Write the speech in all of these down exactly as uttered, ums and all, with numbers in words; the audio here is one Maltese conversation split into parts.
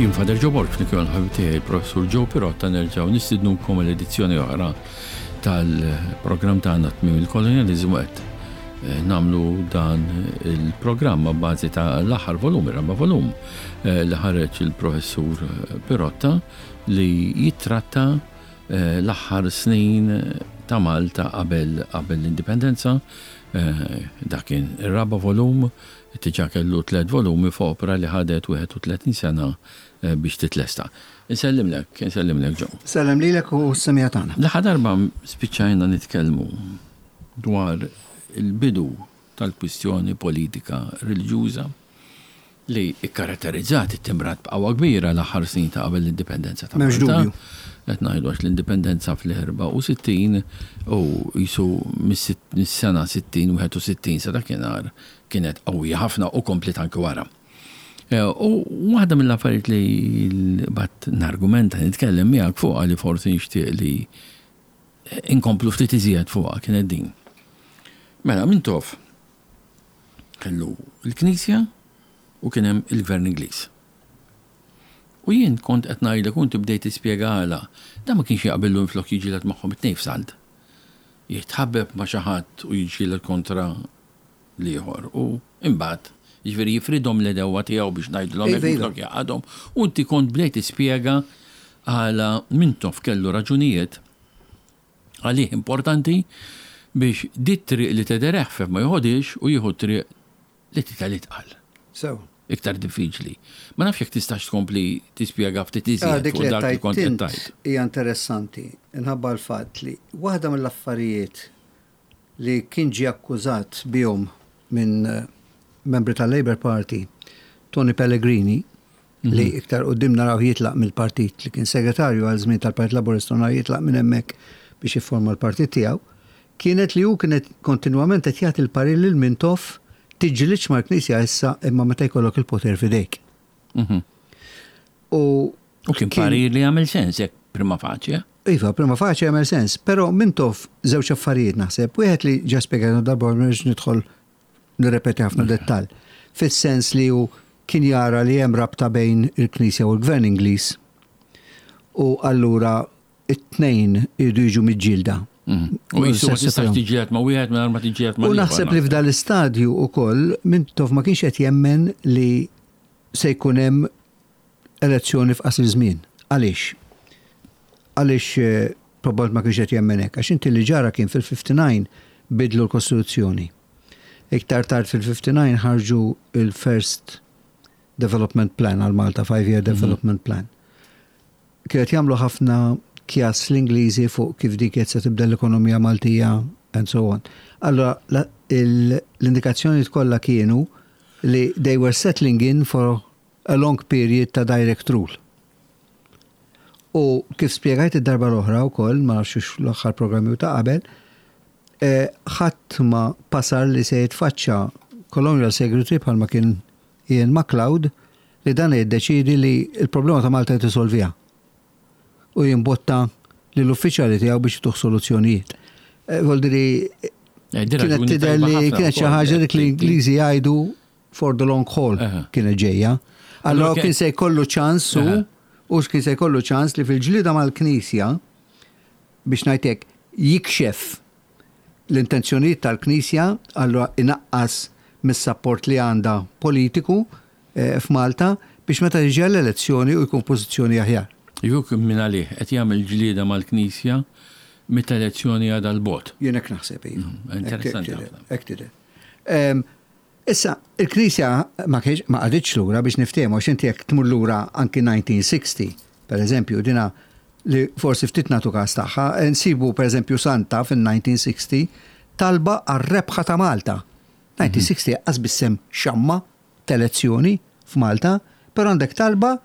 Jien Father Joe Borg, flimkien mal-ħabib tiegħi Professur Joe Pirotta, nerġgħu nistidnukom l-edizzjoni oħra tal-programm tagħna Tmiem il-Kolonjaliżmu. Qed eh, nagħmlu dan il-programm bażi ta' l-aħħar volum, ir-raba' volum eh, li ħareġ il-Professur Pirotta li jittratta eh, l-aħħar snin ta' Malta qabel qabel l-indipendenza. Dak kien ir-raba' volum, diġà kellu tliet volumi f'opra li ħadet wieħed u tletin sena biex titlesta. Insellimlek, insellimlek, Joe. Sellem lilek u s-semmiegħa tagħna. L-aħħar darba spiċċajna nitkellmu dwar il-bidu tal-kwistjoni politika reliġjuża li ikkaratterizzat, ittimbrat b'qawwa kbira l-aħħar snin ta' qabel l-indipendenza ta' M'hemmx Malta. dubju. Qed ngħidu għax l-indipendenza fl-erbgħa u sittin u jisu mis-sena sittin, wieħed u sittin sa dakinhar kienet qawwija ħafna u komplet anke wara. Eh, U waħda mill-affarijiet li bat nargumenta, nitkellem miegħek fuqha, li forsi nixtieq li inkomplu ftit iżjed fuqha, kienet din. Mela, Mintoff kellu l-Knisja u kien hemm il-Gvern Ingliż. U jien kont qed ngħidlek u inti bdejt tispjega għala. Dan ma kienx jaqbillu minflok jiġġieled magħhom it-tnejn f'salt. Jitħabbeb ma' xi ħadd u jiġġieled kontra l-ieħor. U imbagħad jiġifieri jifridhom l-għedewwa tiegħu, biex ngħidulhom Iva, hekk, iva. minflok jgħaqqadhom. U inti kont bdejt tispjega għala Mintoff kellu raġunijiet għalih importanti biex dit triq li tidher eħfef ma joħodhiex u jieħu triq li tidher itqal. So, Iktar diffiċli. Ma nafx jekk tistax tkompli tispjega ftit ah, iżjed dik fuq li dak li kont qed tajt tgħid. hija interessanti. Inħabba l-fatt li waħda mill-affarijiet li kien ġie akkużat bihom minn eh, membri tal-Labour Party, Tony Pellegrini, li iktar quddiem naraw jitlaq mill-partit, li kien segretarju għal żmien tal-Partit Laburista, naraw jitlaq minn hemmhekk biex jifforma l-partit tiegħu, kienet li hu kienet kontinwament qed jagħti l-parir lil Mintoff: tiġġilidx mal-Knisja issa, imma meta jkollok il-poter f'idejk. Mhm. U U kien parir li għamel sens jekk prima facie. Iva, prima facie għamel sens, pero Mintoff żewġ affarijiet naħseb. Wieħed li ġa spjegajna darba, ma rridx nidħol nirrepeti ħafna dettal. Fis-sens li hu kien jara li hemm rabta bejn il-Knisja u l-Gvern Ingliż. U allura it-tnejn iridu jiġu miġġielda. Mhm. U jisu ma tistax tiġġieled ma' wieħed mingħajr ma tiġġieled ma' U naħseb li f'dal istadju ukoll Mintoff ma kienx qed jemmen li se jkun hemm elezzjoni f'qasir żmien. Għaliex? Għaliex eh, probabbilment ma kienx qed jemmen hekk? Għax inti li ġara kien fil-ħamsa u ħamsin bidlu l-Kostituzzjoni. Iktar tard fil-ħamsa u ħamsin ħarġu il-First Development Plan għal Malta, Five Year Development Plan. Kienet jagħmlu ħafna kjas l-Ingliżi fuq kif dik qed se tibda l-ekonomija Maltija and so on. Allora la- il- l-indikazzjoni kollha kienu li they were settling in for a long period ta' direct rule. U kif spjegajt id-darba l-oħra wkoll, ma nafx l-aħħar programmi u ta' qabel, eh, ħadd ma basar li se jitfaċċa Colonial Secretary bħalma kien Ian MacLeod, li dan jiddeċidi li il-problema ta' Malta jtisolvija u jimbotta lill-uffiċjali tiegħu biex jtuh soluzzjonijiet. Eh, Voldiri, kienet tidher li kienet xi ħaġa dik li l-Ingliżi jgħidu for the long haul Aha. kienet ġejja. Allora Allora kien se jkollu ċans u Aha. u kien se jkollu ċans li fil-ġlida mal-Knisja, biex ngħidlek, jikxef l-intenzjonijiet tal-Knisja, allora inaqqas mis-support li għandha politiku eh, f'Malta biex meta tiġi l-elezzjoni u jkun pożizzjoni aħjar. Juk minn għalih qed jagħmel ġlieda mal-Knisja meta elezzjoni għadha 'l bogħod. Jien hekk naħseb, iva. Mm, interessanti Hekk tidher, ħafna. hekk tidher. Em, Issa, il-Knisja ma kienx ma qagħditx lura, biex niftehmu, għax inti jekk tmur lura anki elf disa' mija u sittaw, per eżempju, dina li forsi ftit nagħtu każ tagħha, nsibu per eżempju Santa fil-elf disa' mija u sitta talba għar-rebħa ta' Malta. elf disa' mija u sitta qas biss hemm xamma t'elezzjoni f'Malta, però għandek talba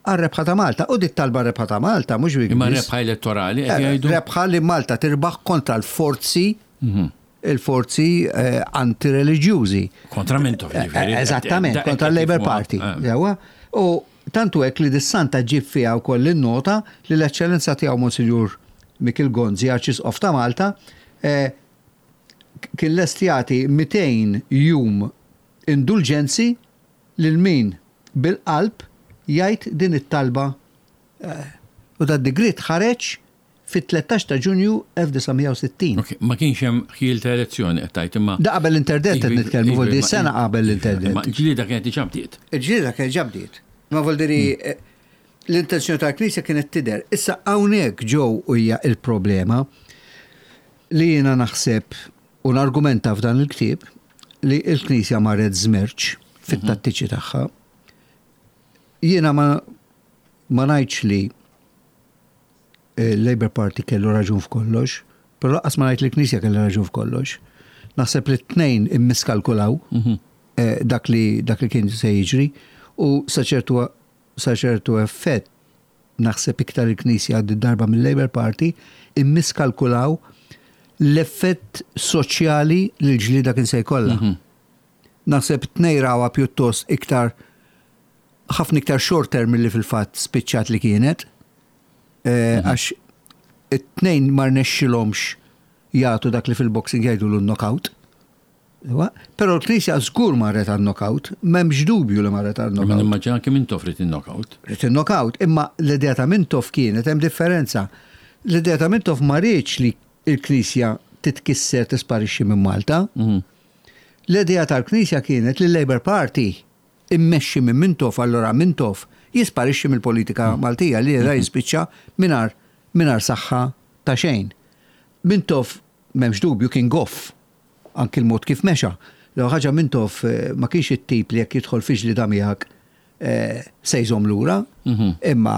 għar-rebħa ta' Malta. U dit talba rebħa ta' Malta mhux Imma biss. rebħa elettorali qed Eh, jgħidu. Rebħa li Malta tirbaħ kontra l-forzi Mhm. il-forzi eh, antireliġjużi. Kontra Mintoff, Eh, ġifieri. Eżattament, Da- kontra l-Labour Party. Eh. Jawa. U tantu hekk li dis-santa ġib fiha wkoll in-nota li l-Eċċellenza tiegħu Monsignor Mikiel Gonzi, Arċisqof ta' Malta, eh, kien lest jagħti mitejn jum indulġenzi lil min bil-qalb Jgħid din it-talba eh, u da digriet ħareġ fit-tlettax ta' Ġunju elf disa' mija u sittin. Ok, ma kienx hemm ħjiel ta' elezzjoni qed tgħid imma. Da qabel l-interdett qed Iva, nitkellmu, iva, vuol ma- sena qabel l-interdett. Ma ġlieda kienet diġà bdiet. Il-ġlieda kienet ġa bdiet. Ma vuol eh, l-intenzjoni tal-Knisja kienet tidher. Issa hawnhekk ġew hija il-problema li jiena naħseb u nargumenta f'dan il-ktieb li l-Knisja marret żmerċ fit-tattiċi tagħha. Jiena ma ma ngħidx li il-Labour Party kellu raġun f'kollox, però lanqas ma ngħid li l-Knisja kellu raġun f'kollox. Naħseb li t-tnejn immiskalkulaw eh, dak li dak li kien se jiġri u sa ċertu sa ċertu effett naħseb iktar il-Knisja għad darba mill-Labour Party immiskalkulaw l-effett soċjali li l-ġlida kien se jkollha. Naħseb tnejn rawha pjuttost iktar ħafna iktar short term milli fil-fatt spiċċat li kienet. Eh, Għax it-tnejn ma rnexxilhomx jagħtu dak li fil-boxing jgħidu l-knockout. Iwa, però l-Knisja żgur marret għal knockout, m'hemmx dubju li marret għal Ma knockout. nimmaġina kemm Mintoff ried in-knockout. Ried il-knockout, imma l-idea ta' Mintoff kienet hemm differenza. L-idea ta' Mintoff ma riedx li l-Knisja titkisser, tisparixxi minn Malta. L-idea tal-Knisja kienet li l-Labour Party immexxi minn Mintoff, allora Mintoff jisparixxi mill-politika Maltija li da jispiċċa mingħajr mingħajr saħħa ta' xejn. Mintoff m'hemmx dubju kien goff anki l-mod kif mexa. L ħaġa Mintoff eh, ma kienx it-tip li jekk jidħol fi ġlieda miegħek eh, se jżomm lura, imma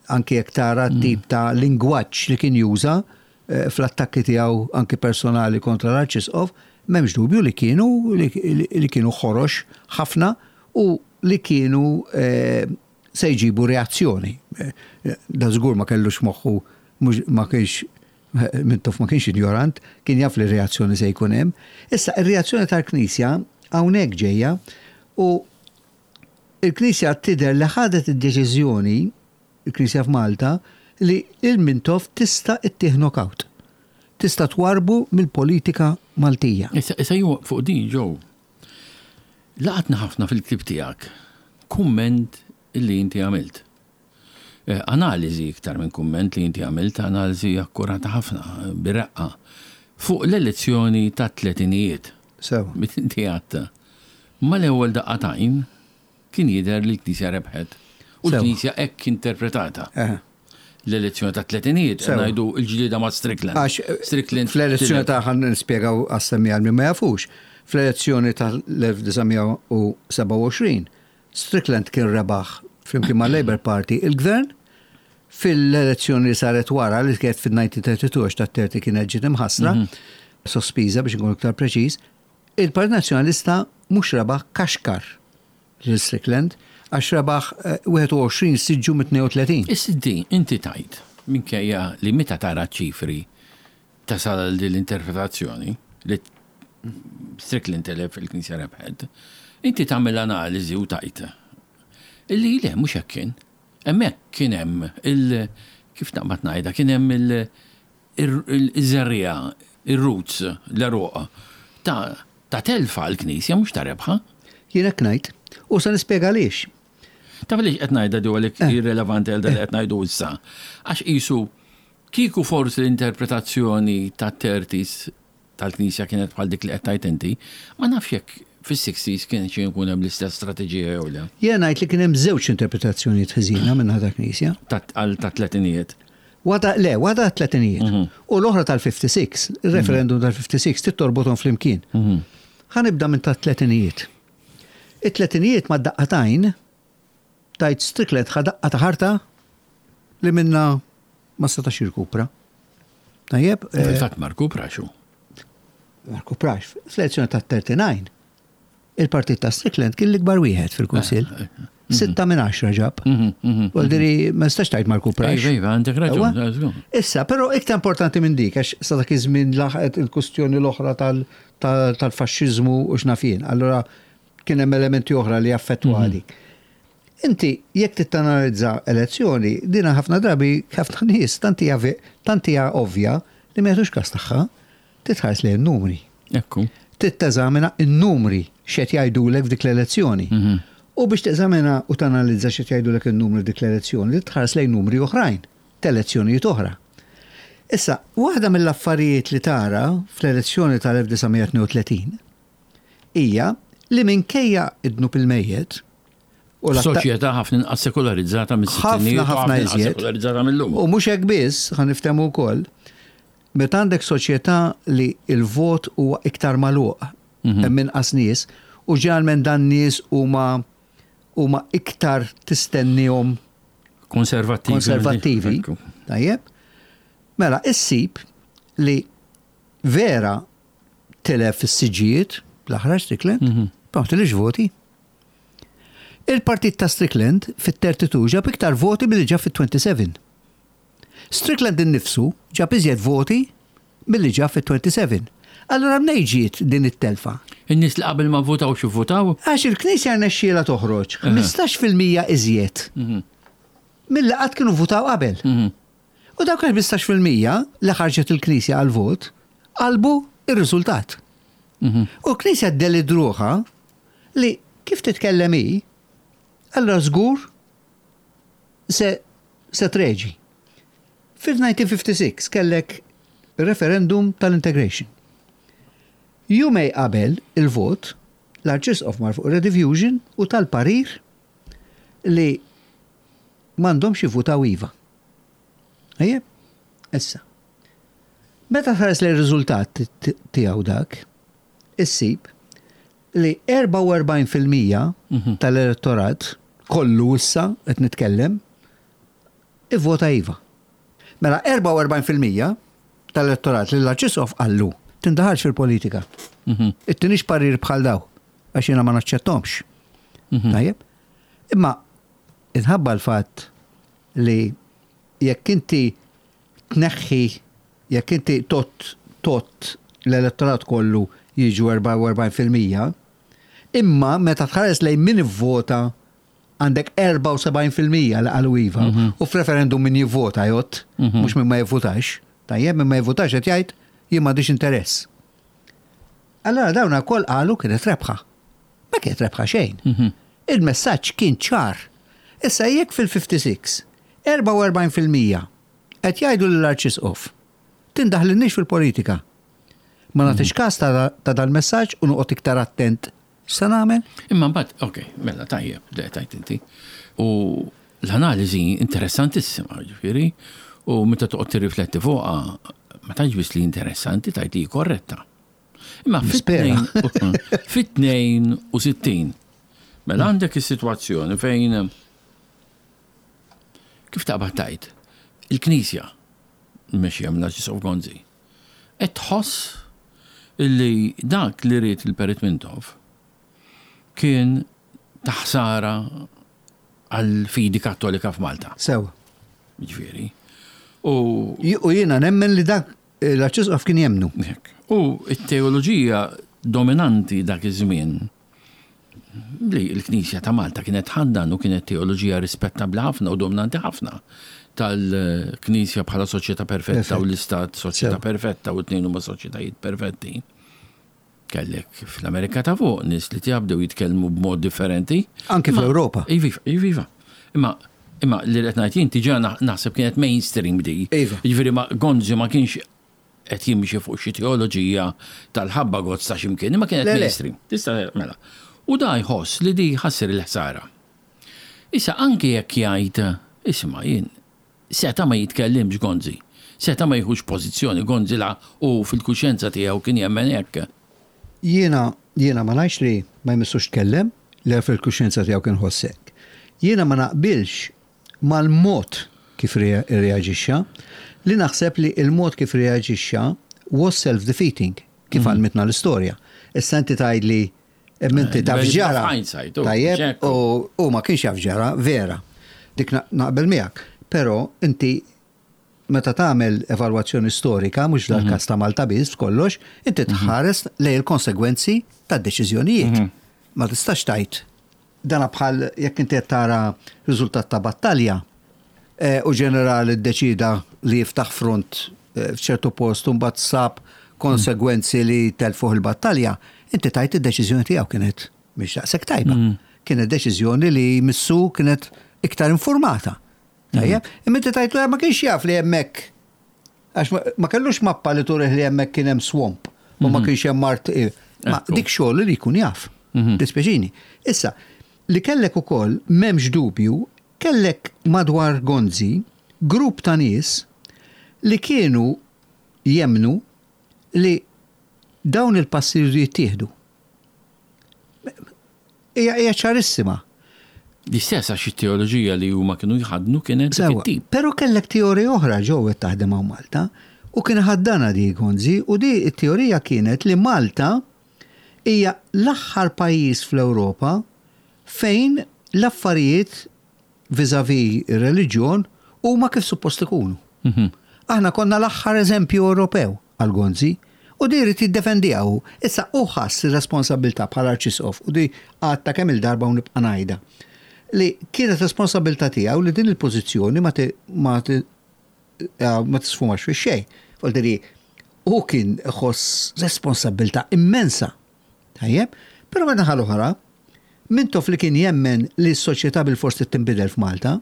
anki jekk tara tip ta' lingwaġġ li kien juża eh, fl-attakki tiegħu anki personali kontra l-Arċisqof, m'hemmx dubju li kienu li, li, li kienu ħorox ħafna u li kienu eh, se jġibu reazzjoni. Eh, Da żgur ma kellux moħħu mhux- ma kienx Mintoff ma kienx ignorant, kien jaf li reazzjoni se jkun hemm. Issa ir-reazzjoni tal-Knisja hawnhekk ġejja u il-Knisja tidher li ħadet id-deċiżjoni, il-Knisja f'Malta, li il-Mintoff tista' ittih knockout. Tista' twarbu mill-politika Maltija. Issa issa ju fuq din ġew. Laqatna ħafna fil-ktieb tiegħek kumment illi inti għamilt. Eh, Analiżi iktar minn kumment li inti għamilt, analiżi akkurata ħafna, bir-reqqa, fuq l-elezzjoni ta' tletinijiet. Sewa. Mit inti għadt. Ma l-ewwel daqqa t'għajn kien jidher li l-Knisja rebħet. U Sewa. l-Knisja hekk interpretata. Eh. L-elezzjoni ta' tletinijiet, Sewa. ngħidu l-ġlieda ma' Strickland. Għax eh, Strickland fl-elezzjoni ta' ħan nispjegaw għas-semmi għal min ma jafux, fl-elezzjoni tal-elf disa' mija u sebgħa u għoxrin, Strickland kien rebaħ flimkien ma' Labour Party il-gvern, fil-elezzjoni li saret wara li kienet fil-elf disa' mija u tnejn u tletin għax ta' thirty kienet ġiet imħassra, sospiża biex nkun iktar preċiż, il-Partit Nazzjonalista mhux rebaħ, kaxkar lil Strickland għax rebaħ eh, wieħed u għoxrin siġġu mit-tnejn u tletin. Issa din, inti tgħid, minkejja li meta tara ċifri tasal għal din l-interpretazzjoni li Strickland telef, il-Knisja rebħet, inti tagħmel analiżi u tgħid illi le, mhux hekk kien. Hemmhekk kien hemm il kif naqbad ngħidha, kien hemm il- il- il-żerriegħa, ir-roots, l-għeruq ta' ta' telfa l-Knisja, mhux ta' rebħa. Jien hekk ngħid. U se nispjega għaliex. Taf li qed ngħidha di għalhekk irrelevanti għal dak li qed ngħidu issa. Għax qisu kieku forsi l-interpretazzjoni ta' thirties tal-Knisja kienet bħal dik li qed tgħid inti, ma nafx jekk fis-sixties kien xi jkun hemm l-istess strateġija jew le. Jien ngħid li kien hemm żewġ interpretazzjonijiet ħażina minn ħadd Knisja. Ta' għal ta' tletinijiet. Waħda, le, waħda tletinijiet. U l-oħra tal-ħamsa u sittin, il-referendum tal-ħamsa u sittin trid torbothom flimkien. Ħa nibda minn ta' tletinijiet. It-tletinijiet ma daqqa t'għajn, tgħid Strickland ħa daqqa ta' ħarta li minna ma setax jirkupra. Tajjeb, eh, Fil-fatt ma rkuprax. Ma rkuprax. Fl-elezzjoni ta' tletin, il-partit ta' Strickland kien l-ikbar wieħed fil-Kunsill. Sitta minn għaxra ġab. Vuol ma nistax tgħid ma rkuprax. Iva, iva, għandek raġun. Ewa. Żgur. Issa, però iktar importanti minn dik, għax sa dak iż-żmien laħqet il-kustjoni l-oħra tal- tal- tal-faxxiżmu u x'naf jien. Allora kien hemm elementi oħra li affettwa dik. Inti jekk tittanalizza elezzjoni, dina ħafna drabi ħafna nies tant hija vi- tant hija ovvja li ma jagħtux każ tagħha, titħares lejn numri. Ekku. Trid teżamina n-numri x'qed jgħidulek f'dik l-elezzjoni. U biex teżamina u tanalizza xi jgħidulek in-numri dik l-elezzjoni, li tħares lejn numri oħrajn, t'elezzjonijiet oħra. Issa, waħda mill-affarijiet li tara fl-elezzjoni tal-elf disa' mija tnejn u tletin hija li minkejja id-dnub il-mejjet u soċjetà ħafna inqas sekularizzata mis-sittinijiet. Ħafna ħafna iżjed. Sekularizzata mill-lum. U mhux hekk biss, ħa niftehmu wkoll, meta għandek soċjetà li il-vot huwa iktar magħluq, mhm. hemm inqas nies, u ġeneralment dan nies huma huma iktar tistennihom konservattivi. Konservattivi. Tajjeb. Mela, issib li vera tilef is-siġijiet l-aħħar Strickland, mm -hmm. tilifx voti. Il-partit ta' Strickland fit-tletin ġab iktar voti milli ġab fit-disgħa u tletin. Strickland innifsu ġab iżjed voti milli ġab fit-disgħa u tletin. Allora mnejn ġiet din it-telfa? In-nies li qabel ma votaw xi votaw? Għax il-Knisja rnexxiela toħroġ ħmistax fil-mija iżjed mhm. milli qatt kienu votaw qabel. Mhm. U dawk il-ħmistax fil-mija li ħarġet il-Knisja għal-vot qalbu ir-riżultat. Mhm. U l-Knisja ddeludruha li kif titkellem hi, allora żgur se, se treġi. Fil-elf disa' mija ħamsa u sittin kellek referendum tal-integration. Jumejn qabel il-vot, l-Arċisqof mar fuq Rediffusion u tal-parir li m'għandhomx jivvutaw iva. Ejjeb, issa. Meta tħares li r-riżultat tiegħu dak, issib li erbgħa u erbgħin fil-mija mhm. tal-elettorat kollu, issa qed nitkellem, ivvota iva. Mela erbgħa u erbgħin fil-mija tal-elettorat li l-Arċisqof qallu tindaħalx fil-politika. Mhm. Ittinix parir bħal daw, għax jiena ma naċċettomx. Mhm. Tajjeb? Imma inħabba l-fatt li jekk inti tneħħi, jekk inti tot tot l-elettorat kollu jiġu erbgħa u erbgħin fil-mija, imma meta tħares lejn min ivvota għandek erbgħa u sebgħin fil-mija li qalu iva, mhm. u f'referendum min jivvota jgħodd, mhux min ma jivvotax. Tajjeb, min ma jivvotax qed jgħid jien m'għandix interess. Allora dawn ukoll qalu kienet rebħa. Ma kienet rebħa xejn. Mhm. Il-messaġġ kien ċar. Issa jekk fil-ħamsa u sittin erbgħa u erbgħin fil-mija qed jgħidu lill-Arċisqof tindaħlinniex fil-politika. Ma nagħtix każ ta' dal-messaġġ u noqgħod iktar attent x'se nagħmel? Imma mbagħad, ok, mela tajjeb, le tajt inti. U l-analiżi interessantissima, ġifieri, u meta toqgħod tirrifletti fuqha, ma tgħidx biss li interessanti, tgħid li korretta. Imma fit-tnejn u sittin, mela għandek is-sitwazzjoni fejn, kif taqbad tgħid, il-Knisja mexja mill-Arċisqof Gonzi qed tħoss illi dak li ried il-Perit Mintoff kien taħsara għal-fidi Kattolika f'Malta. Sew. Ġifieri. U U jiena nemmen li dak l-Arċisqof kien jemmnu. U it-teoloġija dominanti dak iż-żmien li l-Knisja ta' Malta kienet tħaddan u kienet teoloġija rispettabbli ħafna u dominanti ħafna tal-Knisja bħala soċjetà perfetta u l-Istat soċjetà perfetta u t-tnejn huma soċjetajiet perfetti. Kellek fl-Amerika ta' fuq nies li jibdew jitkellmu b'mod differenti. Anke fl-Ewropa. Iva, iva. Imma imma li qed ngħid jien diġà naħseb kienet mainstream di. Iva. Jiġifieri ma Gonzi ma kienx qed jimxi fuq xi teoloġija tal-ħabba gozz ta' x'imkien, imma kienet mainstream. Tista' mela. U da jħoss li di ħassir il-ħsara. Issa anke jekk jgħid, isma', jien seta' ma jitkellimx Gonzi. Seta' ma jieħux pożizzjoni Gonzi la u fil-kuxjenza tiegħu kien jemmen hekk. Jiena jiena ma ngħidx li ma jmissux tkellem, li fil-kuxjenza tiegħu kien ħossek. Jiena ma naqbilx mal-mod kif reaġixxa, li naħseb li il-mod kif reaġixxa was self-defeating, kif mhm. għallmitna l-istorja. Issa inti tgħid li inti taf ġara. Tajjeb, u ma kienx jaf ġara, vera. Dik naqbel miegħek. Però inti meta tagħmel evalwazzjoni storika, mhux dal-każ ta' Malta biss kollox, inti mhm. tħares lejn il-konsegwenzi tad-deċiżjonijiet. Mhm. Ma tistax tgħid dana bħal jekk inti qed tara riżultat ta' battalja eh, u ġenerali ddeċida li jiftaħ front eh, f'ċertu post u mbagħad sab konsegwenzi li telfuh il-battalja, inti tgħid id-deċiżjoni tiegħu kienet mhix daqshekk tajba. Mm. Kienet deċiżjoni li missu kienet iktar informata. Tajjeb, imma inti tajtlu ma kienx jaf li hemmhekk għax ma kellux mappa li turih li hemmhekk kien hemm swamp u ma kienx hemm mart. Ma dik xogħol li jkun jaf. Dispjaċini. Issa, li kellek ukoll m'hemmx dubju, kellek madwar Gonzi grupp ta' nies li kienu jemnu li dawn il-passi li jittieħdu. Hija ċarissima. L-istess għax it-teoloġija li huma kienu jħadnu kienet Sewa, tip. Però kellek teorija oħra ġew taħdem hawn Malta u kien ħaddana di Gonzi u di t-teorija kienet li Malta hija l-aħħar pajjiż fl-Ewropa fejn l-affarijiet vis-à-vis ir-reliġjon huma kif suppost ikunu. Mhm. Aħna konna l-aħħar eżempju Ewropew għal Gonzi u di jrid jiddefendiha hu. Issa u ħass ir-responsabilità bħala arċisqof u di għadtha kemm il-darba u nibqa' ngħidha li kienet responsabilità tiegħu li din il-pożizzjoni ma ma ma tisfumax fi xejn. Voldiri, u kien ħoss responsabilità immensa. Tajjeb, però minn naħa l-oħra, Mintoff li kien jemmen li s-soċjetà bil-forsi tinbidel f'Malta,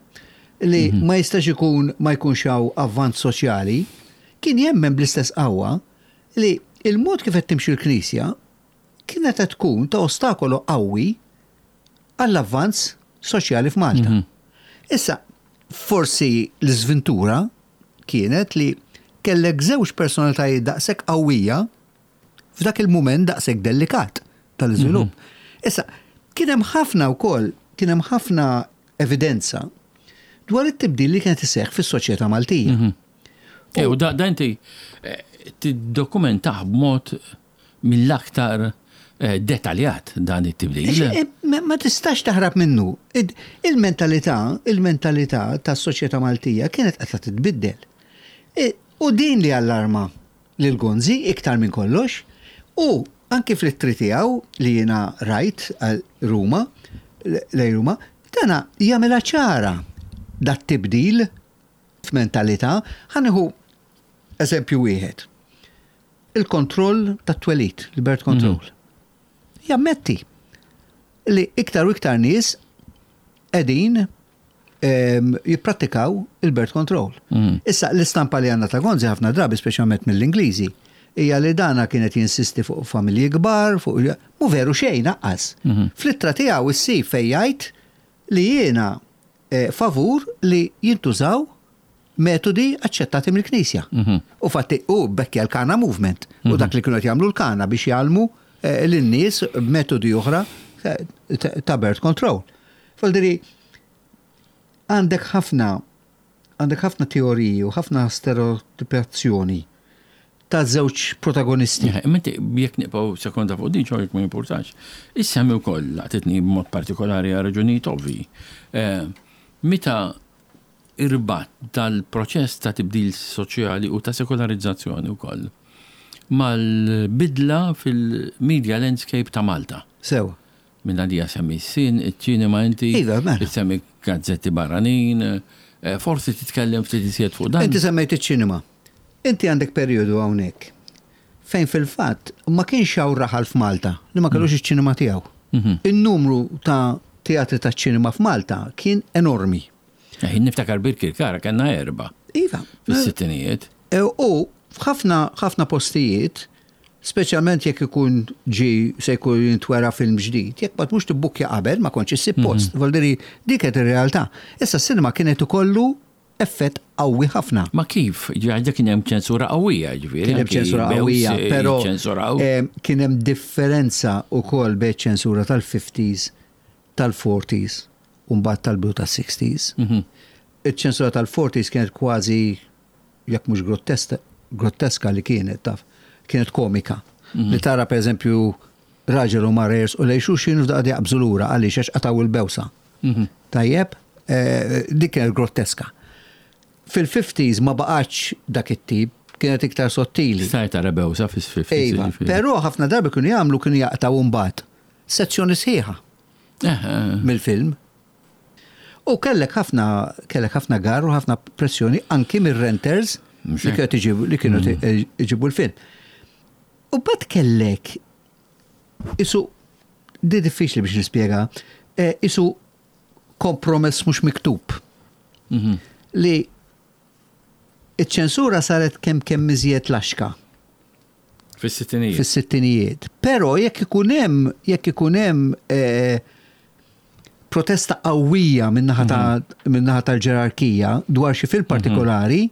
li ma jistax ikun ma jkunx hawn avvanz soċjali, kien jemmen bl-istess qawwa li il-mod kif qed timxi l-Knisja kienet qed tkun ta' ostakolu qawwi għall-avvanz soċjali f'Malta. Mhm. Issa, forsi l-żventura kienet li kellek żewġ personalitajiet daqshekk qawwija f'dak il-mument daqshekk delikat tal-iżvilupp. Mhm. Issa, kien hemm ħafna wkoll, kien hemm ħafna evidenza dwar it-tibdil li kienet iseħħ fis-soċjetà Maltija. Mhm. E, u da, da inti eh, tiddokumentah b'mod mill-aktar eh, detaljat dan it-tibdil. Eh, Ma ma tistax taħrab minnu. Id- Il-mentalità, il-mentalità tas-soċjetà Maltija kienet qed titbiddel. E, U din li allarma lil Gonzi iktar minn kollox u anki fl-ittri tiegħu li jiena rajt għal Ruma, lej Ruma, dana jagħmilha ċara dat tibdil f'mentalità. Ħa nieħu eżempju wieħed. Il-kontroll tat-twelid, il-birth control. Jammetti li iktar u iktar nies qegħdin em, jipprattikaw il-birth control. Mhm. Issa l-istampa li għandna ta' Gonzi ħafna drabi, speċjalment mill-Ingliżi, hija li dana kienet jinsisti fuq familji kbar, fuq mu veru xejn naqqas. Mhm. Fl-ittra tiegħu issib fejn jgħid li jiena eh, favur li jintużaw metodi aċċettati mill-Knisja. Mhm. U fatti u bekkja l-Kana Movement u dak li kienu qed jagħmlu l-Kana biex jgħallmu eh, lin-nies b'metodi oħra eh, ta- ta' birth control. Voldiri, għandek ħafna għandek ħafna teoriji u ħafna stereotipazzjoni ta' żewġ protagonisti. Eh, Imma inti jekk nibqgħu sekonda fuq din xogħol ma importax. Issemmi wkoll laqtitni b'mod partikolari għal raġunijiet ovvi. Eh, Meta irbat dal-proċess ta' tibdil soċjali u ta' sekolarizzazzjoni wkoll mal-bidla fil-media landscape ta' Malta. Sewa. Minn għadija semmi s-sin, iċ-ċinema inti, Iva, mela. semmi gazzetti barranin, eh, forsi titkellem ftit iżjed fuq dan. Inti semmejt iċ-ċinema. Inti għandek perjodu hawnhekk fejn fil-fatt ma kienx hawn raħal f'Malta li ma kellux iċ-ċinema tiegħu. Mhm. In-numru ta' teatri ta' ċinema f'Malta kien enormi. Eh, Niftakar Birkirkara kellna erba Iva. fis-sittinijiet. E, U f'ħafna ħafna postijiet, speċjalment jekk ikun ġi se jkun jintwera film ġdid, jekk ma tmux tibbukkja qabel ma kontx issib post. Voldiri dik qed ir-realtà. Issa s-sinema kienet ikollu effett qawwi ħafna. Ma kif? Ġaġa kien hemm ċensura qawwija, ġifieri. Kien hemm anki ċensura bews, qawwija, eh, però ċensuraw. em, kien hemm differenza wkoll bejn ċensura tal-fifties, tal-forties u mbagħad tal-bidu tas-sixties. Mhm. Iċ-ċensura tal-forties kienet kważi jekk mhux grottesta, groteska li kienet taf, kienet komika. Mhm. Li tara pereżempju raġel u mara jersqu lejn xulxin u f'daqqa jaqbżu lura għaliex għax qataw il-bewsa. Mhm. Tajjeb, eh, dik kienet groteska. Fil-fifties ma baqgħetx dak it-tip, kienet iktar sottili. Stajt tara bewsa fis-fifties. Iva, ġifieri. però ħafna drabi kienu jagħmlu kienu jaqtaw mbagħad sezzjoni sħiħa Eh, eh. mill-film. U kellek ħafna kellek ħafna gar u ħafna pressjoni anki mir-renters Mhux li hekk. kienu iġibu li kienu iġibu l-film. U bad kellek isu di diffiċli biex nispjega, Eh, isu kompromess mhux miktub Mhm. li iċ-ċensura saret kemm kemm iżjed laxka Fis-sittinijiet. Fis-sittinijiet. Però jekk ikun hemm jekk ikun hemm eh, protesta qawwija min-naħa ta' min-naħa tal-ġerarkija dwar xi film partikolari,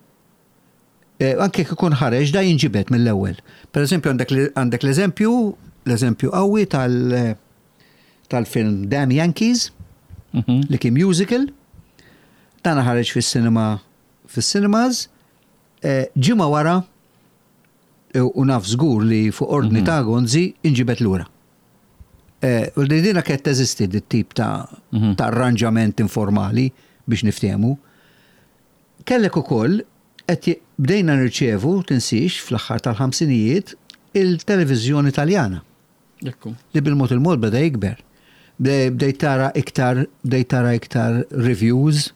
eh, anke jekk ikun ħareġ, da jinġibed mill-ewwel. Per eżempju, għandek l- għandek l-eżempju l-eżempju qawwi tal tal-film Damn Yankees Mhm. li kien musical, dan ħareġ fis-cinema fis-cinemas, eh, ġimgħa wara eh, u naf żgur li fuq ordni ta' Gonzi inġibet lura. Eh, U li dina kienet teżisti dit tip ta' Mhm. ta' arranġament informali biex niftehmu. Kellek ukoll qed j- bdejna nirċevu, tinsix, fl-aħħar tal-ħamsinijiet il-televiżjoni Taljana Ekku. li bil-mod il-mod beda jikber. Bdej bdejt tara iktar, bdejt tara iktar reviews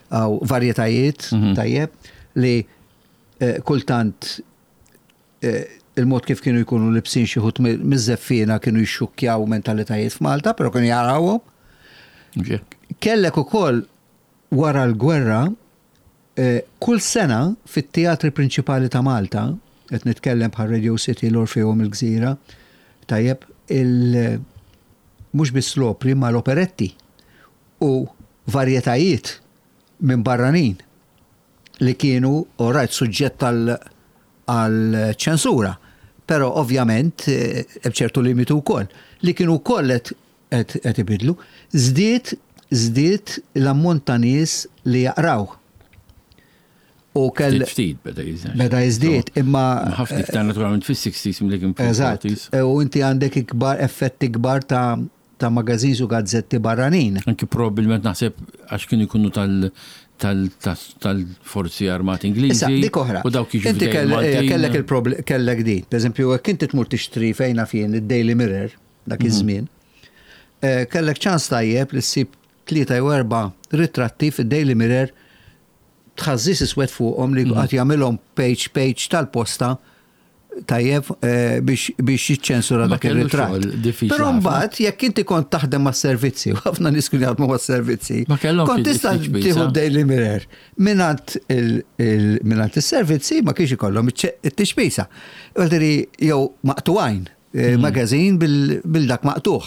aw varjetajiet, Mhm. tajjeb, li eh, kultant eh, il-mod kif kienu jkunu libsin xi ħut miż-żeffiena kienu jxukkjaw mentalitajiet f'Malta, però kienu jarawhom. Mhux hekk. Kellek ukoll wara l-gwerra eh, kull sena fit-teatri prinċipali ta' Malta, qed nitkellem bħal Radio City, l-Orfeum, il-Gżira, tajjeb, il mhux biss l-opri ma l-operetti u varjetajiet minn barranin li kienu alright suġġett għal għal ċensura, però ovvjament eh, hemm ċertu limitu wkoll li kienu wkoll qed- qed qed ibidlu. Żdied żdied l-ammont ta' nies li jaqraw. U kell Ftit ftit beda jiżdied. Beda jiżdied, imma Ħafna iktar naturalment fis-sixties milli kien Eżatt. fil-forties. U inti għandek ikbar effetti kbar ta' ta' magazines u gazzetti barranin. Anki probabbilment naħseb għax kienu jkunu tal tal- tas- tal-forzi armati Ingliżi. Issa, dik oħra. U dawk jiġu Inti f'dejjem kell- eh, Maltin. kellek il-problem, kellek din. Per eżempju, jekk inti tmur tixtri fejna fien id-Daily Mirror, dak Mhm. iż-żmien, eh, kellek ċans tajjeb li ssib tlieta jew erba' ritratti fid-Daily Mirror tħażżis iswed fuqhom li Mhm. qed jagħmilhom page page tal-posta, tajjeb, eh, biex biex jiċċensura Ma dak kellu ir-ritratt. xogħol diffiċli Però ħafna. mbagħad jekk inti kont taħdem mas-servizzi, u ħafna nies kienu jaħdmu mas-servizzi, Ma kellhomx kont tista' il-tixbisa. tieħu Daily Mirror mingħand il- il- mingħand is-servizzi ma kienx ikollhom it-tixbisa. Għaldiri jew maqtugħajn, eh, magazin bil- bil-dak maqtuħ.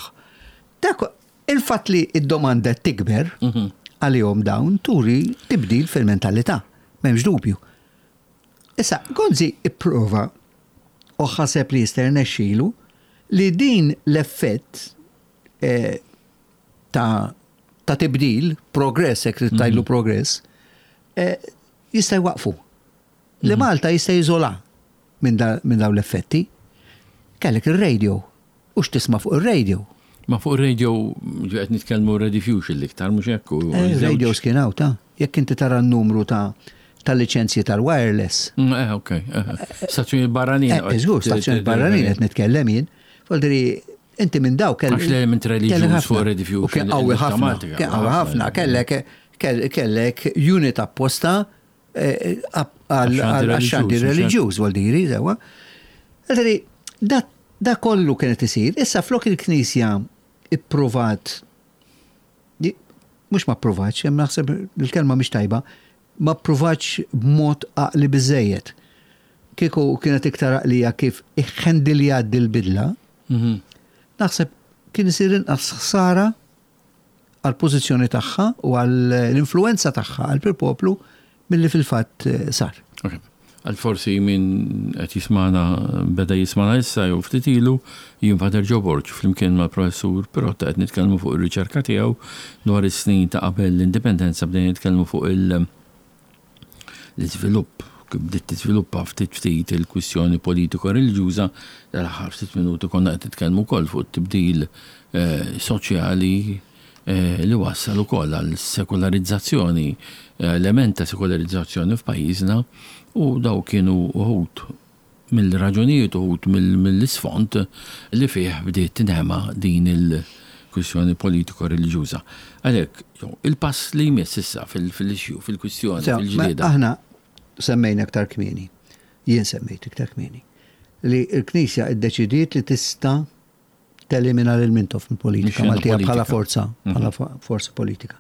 Dak il-fatt li id-domanda tikber Mhm. għalihom dawn turi tibdil fil-mentalità, m'hemmx dubju. Issa, Gonzi ipprova u ħaseb li jista' jirnexxielu li din l-effett eh, ta' ta' tibdil, progress, jekk trid tgħidlu progress, eh, jista' jwaqfu. Li Malta jista' jiżola minn da- minn dawn l-effetti. Kellek ir-radio. U x'tisma' fuq ir-radio? Ma fuq radio qed nitkellmu Rediffusion l-iktar, mhux hekk? u- Eh, żewġ- Radio kien hawn ta' jekk inti tara n-numru ta' tal-liċenzji tal-wireless. Mm, Eh, ok. eh, Stazzjoni barranin. Eh, Żgur, stazzjoni barranin qed nitkellem jien. Voldiri, inti minn daw kell. Għax l-element reliġjuż kellek ħafna. fuq Rediffusion, U kien qawwi ħafna. il-tematika, Kien qawwi ħafna. Kellek kell- kellek unit apposta eh, għal Għax-xandir għax-xandir reliġjuż, reliġjuż, voldiri, sewa. Voldiri, da da kollu kienet isir. Issa flok il-Knisja ipprovat, mhux ma pprovatx, hemm naħseb il-kelma mhix tajba, ma pprovatx b'mod għaqli biżejjed. Kieku kienet iktar għaqlija kif iħendilja dil-bidla, Mhm. naħseb kien isir inqas ħsara għal pożizzjoni tagħha u għall influenza tagħha għal poplu milli fil-fatt eh, sar. Ok. Għal forsi min qed jismana beda jismana issa jew ftit ilu, jien Pater Joe Borg flimkien mal-professur Pirotta qed nitkellmu fuq ir-riċerka tiegħu dwar is-snin ta' qabel l-indipendenza. Bdejna nitkellmu fuq il- l-iżvilupp kif bdiet tiżviluppa ftit ftit il-kwistjoni politiko-reliġjuża. Dal-aħħar ftit minuti konna qed nitkellmu wkoll fuq it-tibdil eh, soċjali eh, li wassal ukoll għal sekolarizzazzjoni, eh, element ta' sekolarizzazzjoni f'pajjiżna, u daw kienu uħud mill-raġunijiet, uħud mill- mill-isfond li fih bdiet tinħema din il-kwistjoni politiko-reliġjuża. Għalhekk, jo, il-pass li jmiss issa fil- fil-issue, fil-kwistjoni, Sew, ma fil-ġlieda. Aħna semmejna aktar kmieni, jien semmejt iktar kmieni, li l-Knisja iddeċidiet li tista' Telimina lil Mintoff mill-politika Mix-xena Maltija bħala politika. forza, bħala fo- forza politika.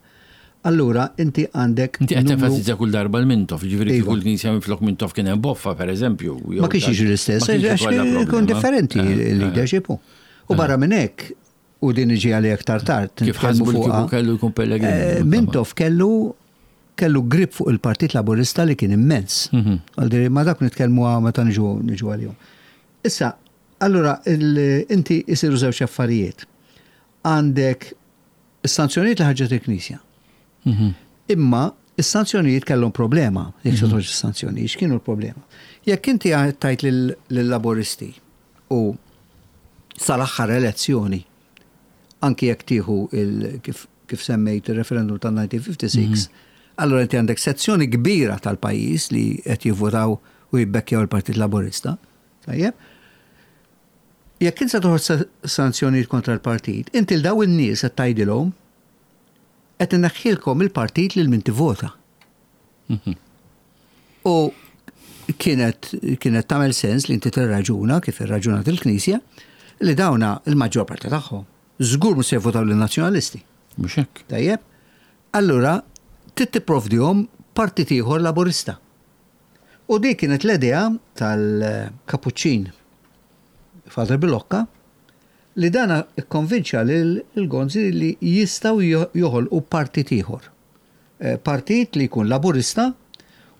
Allura, inti għandek Inti qed numru- tenfasizza kull darba l-Mintoff, ġifieri Iva. kieku l-Knisja minflok Mintoff kien hemm Boffa, pereżempju. jew Ma kienx dak- jiġri l-istess, ma kienx għax ikollha ikun problema. differenti Eh, eh. il-leadership. U barra minn hekk, u din iġi għalli aktar tard. Kif nitkellmu ħasbu li fuqha, kieku kellu jkun Pellegrini. eh, Mintoff kellu kellu grip fuq il-Partit Laburista li kien immens. Mhm. Għaldiri, ma dak nitkellmu għa meta niġu niġu għalihom. Issa, allura, il- inti jisiru żewġ affarijiet. Għandek is-sanzjonijiet li ħarġet il-Knisja. Mhm. Imma is-sanzjonijiet kellhom problema, jekk se toħroġ is-sanzjonijiet, x'kienu l-problema? Jekk inti tajt lill-Laburisti u sal-aħħar elezzjoni, anki jekk tieħu il- kif, kif semmejt il-referendum tal-elf disa' mija u ħamsa u sittin, allora inti għandek sezzjoni kbira tal-pajjiż li qed jivvotaw u jibbekkjaw il-Partit Laburista. Tajjeb? Jekk inti se toħroġ sa- sanzjonijiet kontra l-partit, inti l daw in-nies qed tgħidilhom qed inneħħilkom il-partit lil min tivvota. Mhm. U kienet kienet tagħmel sens li inti tirraġuna kif irraġunat il-Knisja li dawna il-maġġor parti tagħhom żgur mhux se jivvotaw lin-Nazzjonalisti. Mhux hekk. Tajjeb? Allura trid tipprovdihom partit ieħor Laburista. U dik kienet l-idea tal-Kapuċċin Father Bilocca li dana ikkonvinċa lil il-Gonzi li jistgħu joħolqu partit ieħor. Eh, Partit li jkun Laburista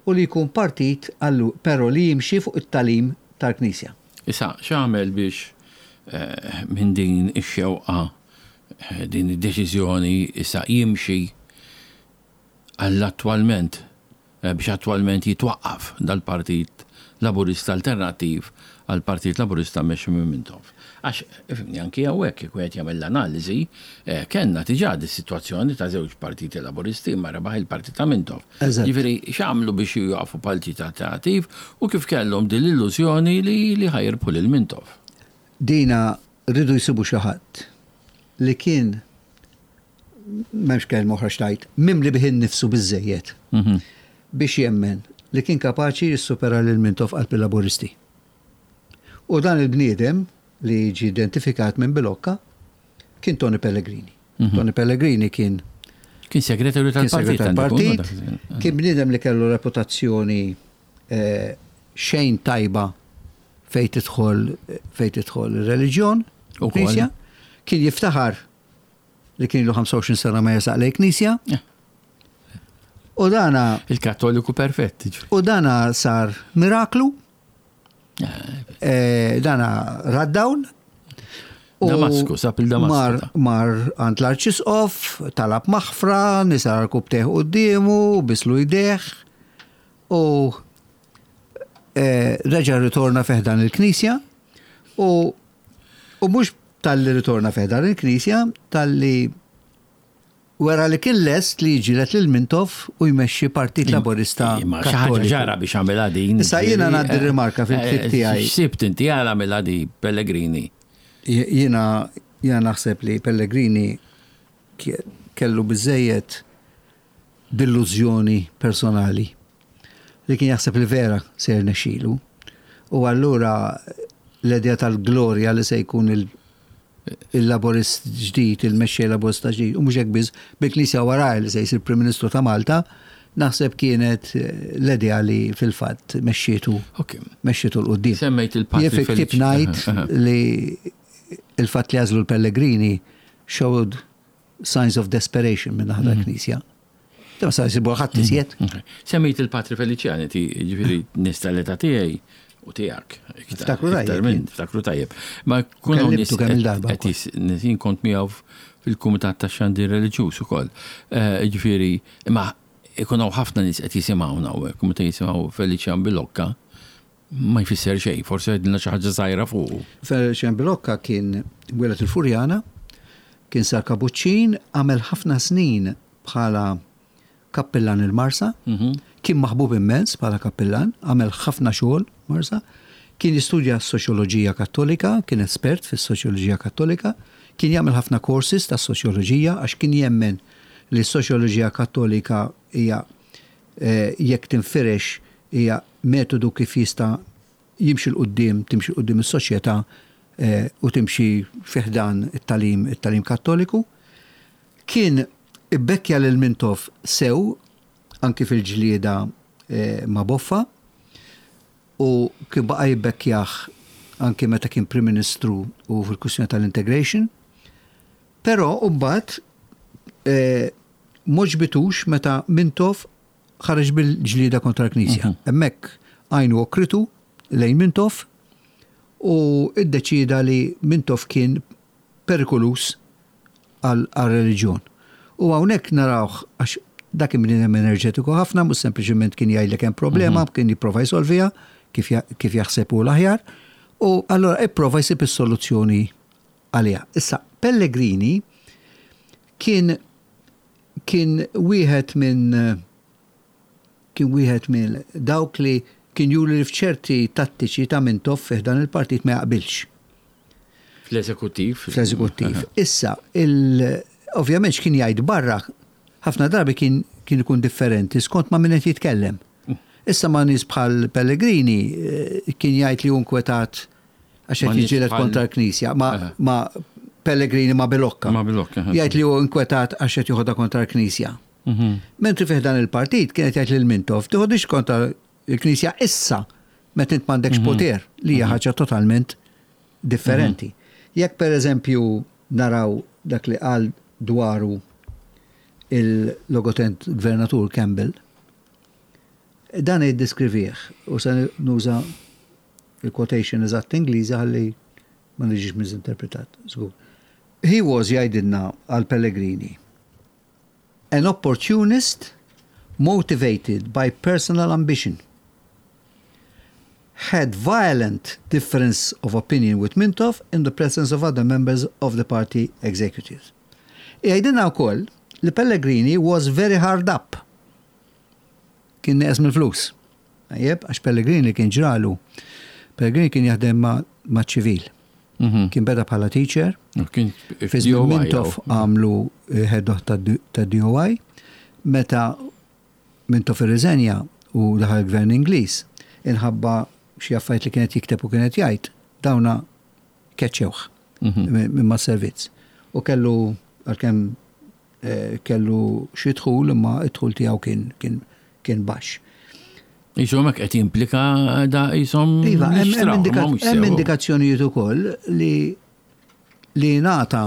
u li jkun partit allu, però li jimxi fuq it-tagħlim tal-Knisja. Issa, x'għamel biex eh, minn din ix-xewqa, eh, din id-deċiżjoni issa jimxi għall-attwalment, eh, biex attwalment jitwaqqaf dal-Partit Laburista Alternattiv għal-Partit Laburista mmexxi minn Mintoff? Għax, ifhimni, anki hawnhekk, jekk wieħed jagħmel l-analiżi, eh, kellna diġà di situazzjoni ta' żewġ partiti Laburisti, ma rebaħ il-partit ta' Mintoff. Eżatt. Ġifieri, x'għamlu biex jwaqqfu partit alternattiv u kif kellhom din l-illużjoni li li ħa jirbħu lil Mintoff? Dina rridu jsibu xi ħadd li kien, m'hemmx kelma oħra xtajt, mimli bih innifsu biżejjed Mhm. biex jemmen li kien kapaċi jissupera lil Mintoff qalb il-Laburisti. U dan il-bniedem li ġi identifikat minn Bilocca kien Tony Pellegrini. Tony Pellegrini kien Kien segretarju kien tal-partit. segretarju għandu jkun, tal-partit, dak iż-żmien. kien bniedem li kellu reputazzjoni eh, xejn tajba fejn tidħol fejn tidħol ir-reliġjon, Ukoll. knisja, kien jiftaħar li kien ilu ħamsa u għoxrin sena ma jersaq lejn knisja. Eh. U dana Il-Kattoliku perfett, ġifieri. U dana sar miraklu, eh, dana ra d-dawl. U Damasku, sab il-Damasku Mar, ta. mar għand l-Arċisqof, talab maħfra, niżel għarkubbtejh quddiemu, bislu jdejh, u eh, reġa ritorna fi ħdan il-Knisja, u, u mhux talli ritorna fi ħdan il-Knisja, talli wera li kien lest li jiġġieled lil Mintoff u jmexxi Partit Laburista Imma xi ħaġa Kattoliku. ġara biex għamilha din. Issa jiena ġifieri, ngħaddi eh, rimarka fil-ktieb eh, tiegħi. X'sibt inti għala għamilha di Pellegrini? Jiena jiena naħseb li Pellegrini kie- kellu biżejjed delużjoni personali li kien jaħseb li vera se jirnexxilu. U allura l-idea tal-glorja li se jkun il- il-laborist ġdid, il-mexxej Laburista ġdid, u mhux hekk biss, bil-Knisja waraj, li se jsir Prim Ministru ta' Malta, naħseb kienet eh, l-idea li fil-fatt mexxietu Ok. mexxietu 'l quddiem. Semmejt il-Patri Jien fil-ktieb Feliċ. ngħid li il-fatt li għażlu l-Pellegrini showed signs of desperation minn naħa tal-Knisja. Ta' sa jsibu ħadd iżjed. Ok. Semmejt il-Patri Feliċjani, ti ġifieri nista l-età tiegħi u tiegħek. Iktar- Ftakru tajjeb iktar minn, jien. ftakru tajjeb. Ma kunu Kellimtu nies kemm il-darba qed jis- jien kont miegħu fil-Kumitat tax-Xandir Reliġjuż ukoll. Eh, Ġifieri, imma ikun hawn ħafna nies qed jisimgħuna hawnhekk, u meta jisimgħu Feliċjan Bilocca ma jfisser xejn, forsi għedilna xi ħaġa żgħira fuqu. Feliċjan Bilocca kien wieled il-Furjana, kien sar kabuċċin, għamel ħafna snin bħala kappillan il-Marsa, Mhm. kien maħbub immens bħala kappillan, għamel ħafna xogħol Marsa, kien jistudja s-soċjoloġija Kattolika, kien espert fis-soċjoloġija Kattolika, kien jagħmel ħafna courses ta' soċjoloġija għax kien jemmen li s-soċjoloġija Kattolika hija eh, jekk tinfirex hija metodu kif jista' jimxi 'l quddiem, timxi 'l quddiem is-soċjetà. eh, u timxi fi ħdan it-tagħlim it-tagħlim Kattoliku. Kien ibbekkja lil Mintoff sew anki fil-ġlieda eh, ma' Boffa u kien baqa' jibbekkjah anki meta kien Prim Ministru u fil-kwistjoni tal-integration. Però mbagħad eh, m'għoġbitux meta Mintoff ħareġ bil-ġlieda kontra l-Knisja. Hemmhekk għajnu okritu lejn Mintoff u iddeċida li Mintoff kien perikolus għal-reliġjon. U hawnhekk narawh, għax dak kien bniedem enerġetiku ħafna, mhux sempliċement kien jgħidlek hemm problema, kien jipprova jsolviha kif ja- kif jaħseb hu l-aħjar. U allora ipprova jsib is-soluzzjoni għaliha. Issa Pellegrini kien kien wieħed minn kien wieħed minn dawk li kien juri li f'ċerti tattiċi ta' Mintoff fi dan il-partit ma jaqbilx. Fl-eżekuttiv. Fl-eżekuttiv. Issa, il, ovvjament x'kien jgħid barra, ħafna drabi kien kien ikun differenti skont ma' min qed jitkellem. Issa ma' nies bħal Pellegrini eh, kien jgħid li hu nkwetat għax Ma' qed nies jiġġieled bħal- kontra l-Knisja, ma, Aha. ma Pellegrini ma' Bilocca. Ma' Bilocca, aha. Jgħid li hu nkwetat għax qed joħodha kontra l-Knisja. Mhm. Mentri fih dan il-partit kienet jgħid lil Mintoff, tiħodix kontra l-Knisja issa meta int m'għandekx poter, li hija ħaġa totalment differenti. Jekk per eżempju naraw dak li qal dwaru il-logotent gvernatur Campbell, dan jiddeskrivih u se nuża il-quotation eżatt Ingliża ħalli ma niġix misinterpretat. Żgur. He was, jgħidilna għal Pellegrini, an opportunist motivated by personal ambition, had violent difference of opinion with Mintoff in the presence of other members of the party executives. Jgħidilna wkoll li Pellegrini was very hard up. Kien neqes mill-flus. Tajjeb, għax Pellegrini kien ġralu. Pellegrini kien jaħdem ma' ma' ċivil. Mhm. Kien beda bħala teacher, U Kien fi żmien Mintoff għamlu eh, head of ta' D O I, meta Mintoff irriżenja u daħal gvern Ingliż, inħabba xi affarijiet li kienet jikteb u kienet jgħid, dawna keċċewh Mhm. minn ma' servizz. U kellu, għalkemm eh, kellu xi dħul, imma id-dħul tiegħu kien kien kien baxx. Jisom hekk qed jimplika da jisom. Iva, hemm- hemm jixtraw, indika- ma mhux hemm sew. indikazzjonijiet ukoll li li ngħata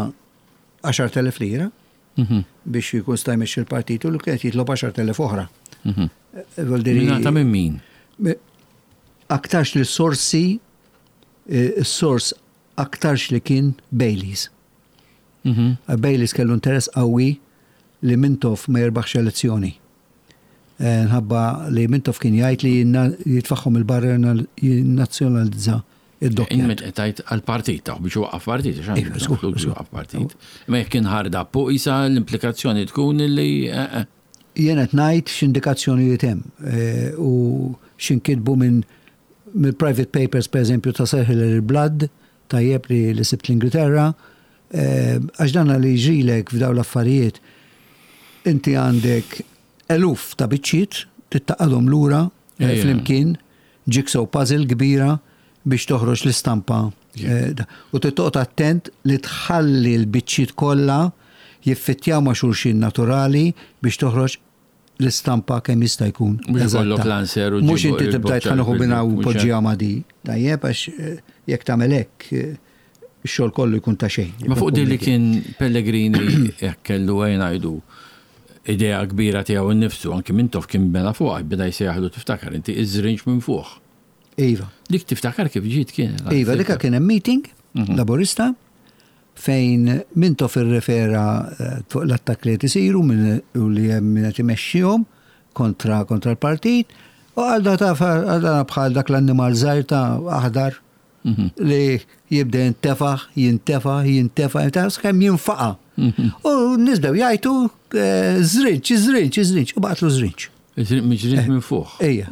għaxart elef lira Mhm. biex jkun sta jmexxi l-partit u li kienet jitlob għaxart elef oħra. Mhm. Eh, Vuol dire- Mingħata minn min? Me- Aktarx li sorsi, eh, s-sors aktarx li kien Bayliss. Mhm. Bayliss kellu interess qawwi li Mintoff ma jirbaħx elezzjoni. Eh, Nħabba li Mintoff kien jgħid li jinna- jitfaħħom il-barra jinnazzjonalizza id-dokkja. Inmet qed tgħid għall-partit ta' biex waqqaf partit, għax Iva, għandu żgur, flus żgur. waqqaf partit. Ma jekk kien hard up u isa l-implikazzjoni tkun li eh, eh, Jien qed ngħid x'indikazzjonijiet hemm eh, u x'inkitbu minn minn private papers, per eżempju, ta' Sir Hilary Blood, tajjeb, li, li sibt l-Ingilterra, eh, għax dan li ġrilek f'daw l-affarijiet, inti għandek eluf ta' biċċiet tittaqadhom lura eh, Ejja. flimkien, jigsaw puzzle kbira biex toħroġ l-istampa. Eh, da- U tittoqgħod attent li tħalli l-biċċiet kollha jiffittjaw ma' xulxin naturali biex toħroġ l-istampa kemm jista' jkun Mhux eżatta. ikollok l-answer u Mhux ġibu inti tibda il-boċċa tħanuħu bina u mhux poġġiha ma' di. Tajjeb, għax eh, jekk tagħmel hekk eh, ix-xogħol kollu jkun ta' xejn. Ma fuq din li kien Pellegrini jekk kellu għajn ngħidu idea kbira tiegħu nnifsu, anki Mintoff kien bena fuq, beda jsejjaħlu, tiftakar inti, iż-żrinġ minn fuq. Iva. Dik tiftakar kif ġiet kien? Iva, dika kien hemm meeting Mhm. Laburista fejn Mintoff irrefera eh, fuq l-attakk li qed isiru minn u li hemm min qed imexxihom kontra kontra l-partit u għal da taf għal da bħal dak l-annimal żgħir ta' aħdar Mhm. li jibda jintefaħ, jintefaħ, jintefaħ, jintefaħ, sakemm jinfaqa. Mhm. U nisbew jgħajtu eh, żrinġ, żrinġ, żrinġ, u baqatlu żrinġ. Miġrinġ minn fuq. Ejja,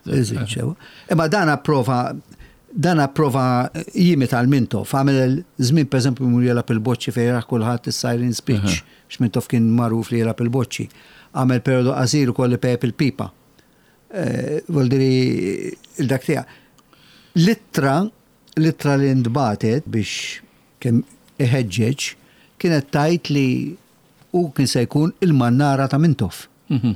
żrinġ, ewa. Imma dan approva dan approva jimita l-Mintoff, għamel żmien, per eżempju, mur jelgħab il-boċċi fejn raħ kulħadd is-siren speech, x'Mintoff kien magħruf li jelgħab il-boċċi. Għamel periodu qasir ukoll li pejjep il-pipa. Eh, Vuol dire il-dak tiegħek. L-ittra L-ittra li ntbagħtet biex kemm iħeġġeġ kienet tgħid li u kien se jkun il-mannara ta' Mintoff. Mhm.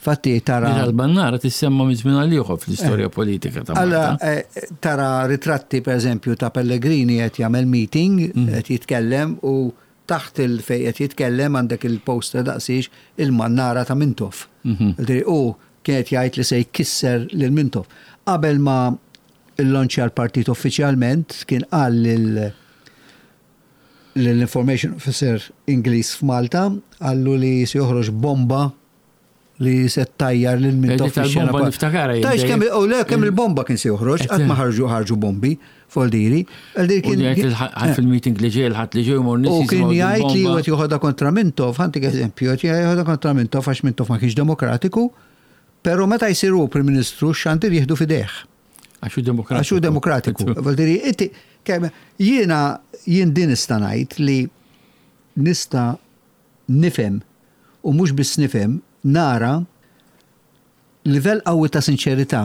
Fatti tara. Il-mannara tissemma minn żmien għal ieħor fl-istorja politika ta' Alla Malta. eh, tara ritratti, per eżempju, ta' Pellegrini qed jagħmel meeting, qed jitkellem, u taħt il-fej qed jitkellem għandek il-poster daqsix il-mannara ta' Mintoff. Ġifieri, u kienet jgħid li se jkisser lil Mintoff. Qabel ma il-launchja l-partit uffiċjalment, kien qal lil l-information officer Ingliż f'Malta, qallu li se joħroġ bomba li se tajjar lil Mintoff. Dik tal-bomba niftakarha jien. Tajx kemm, u le, kemm il-bomba kien se joħroġ, qatt ma ħarġu ħarġu bombi, foldiri. U jgħid il-ħadd fil-meeting li ġej, il-ħadd li ġej jmur nies U kien jisimgħu jgħid li il-bomba. qed joħodha kontra Mintoff, ħa ntik eżempju, qed joħodha kontra Mintoff għax Mintoff ma kienx demokratiku, però meta jsiru Prim Ministru, xandir jieħdu f'idejh. Għax hu demokratiku. Għax hu demokratiku. Vuol inti, kemm jiena jien din nista' ngħid li nista' nifhem, u mhux biss nifhem, nara livell qawwi ta' sinċerità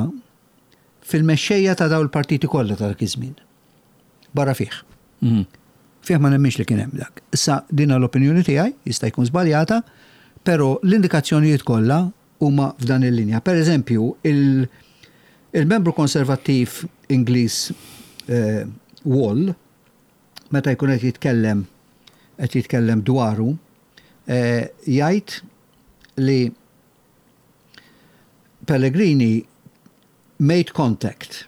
fil-mexxejja ta' dawn il-partiti kollha ta' dak iż-żmien. Barra fih. Mhm. Fih ma nemminx li kien hemm dak. Issa dina l-opinjoni tiegħi, jista' jkun żbaljata, però l-indikazzjonijiet kollha huma f'dan il-linja. Per eżempju, il- il-membru konservattiv Ingliż eh, Wall, meta jkun qed jitkellem qed jitkellem dwaru, eh, jgħid li Pellegrini made contact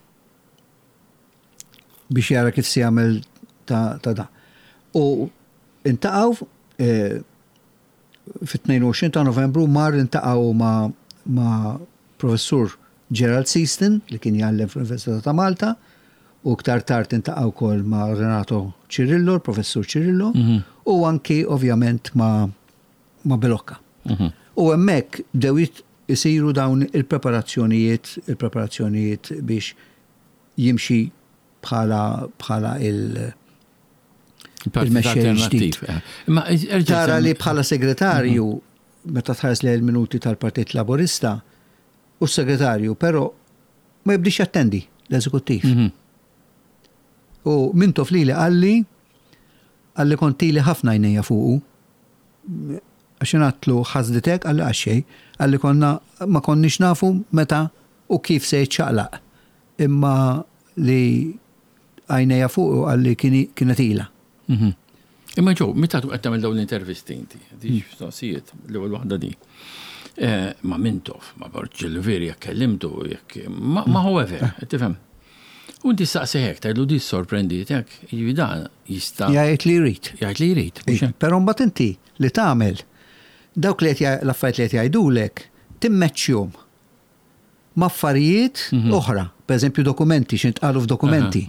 biex jara kif se jagħmel ta', ta' da. U iltaqgħu eh, fit-tnejn u għoxrin ta' Novembru mar iltaqgħu ma', ma' professur Gerald Seaston, li kien jgħallem fl-Università ta' Malta, u ktar tard iltaqgħu wkoll ma' Renato Cirillo, professur Cirillo, u anki ovvjament ma', ma' Bilocca. Mhm. U hemmhekk bdew isiru dawn il-preparazzjonijiet, il-preparazzjonijiet biex jimxi bħala bħala il- Il-Partit il-mexxej Alternattiv. ġdid. eh. Imma erġa' Tara semmi- li bħala segretarju, meta tħares li l-minuti tal-Partit Laburista, u s-segretarju, però ma jibdix jattendi l-eżekuttiv. Mhm. U Mintoff li li qalli, qalli kont ili ħafna għajnejja fuqu, għax għedtlu ħasditek, qalli għaxej, qalli konna ma konniex nafu meta u kif se jitċaqlaq. Imma li għajnejja fuqu, qalli kienet ila. Mhm. Imma ġo, meta tu qed tagħmel dawn l-intervisti inti, di mistoqsijiet, l-ewwel waħda di. Eh, Ma Mintoff, ma Borg Olivier, jekk kellimtu, jekk ma ma however, tifhem. U inti saqsi hekk, tgħidlu di sorprenditek, jiġifieri dan jista' Jgħid li jrid. Jgħid li jrid. Mhux hekk? Però mbagħad inti li tagħmel dawk li qed l-affarijiet li qed jgħidulek timmeċċjhom ma' affarijiet oħra, per eżempju dokumenti, x'intqalu f'dokumenti.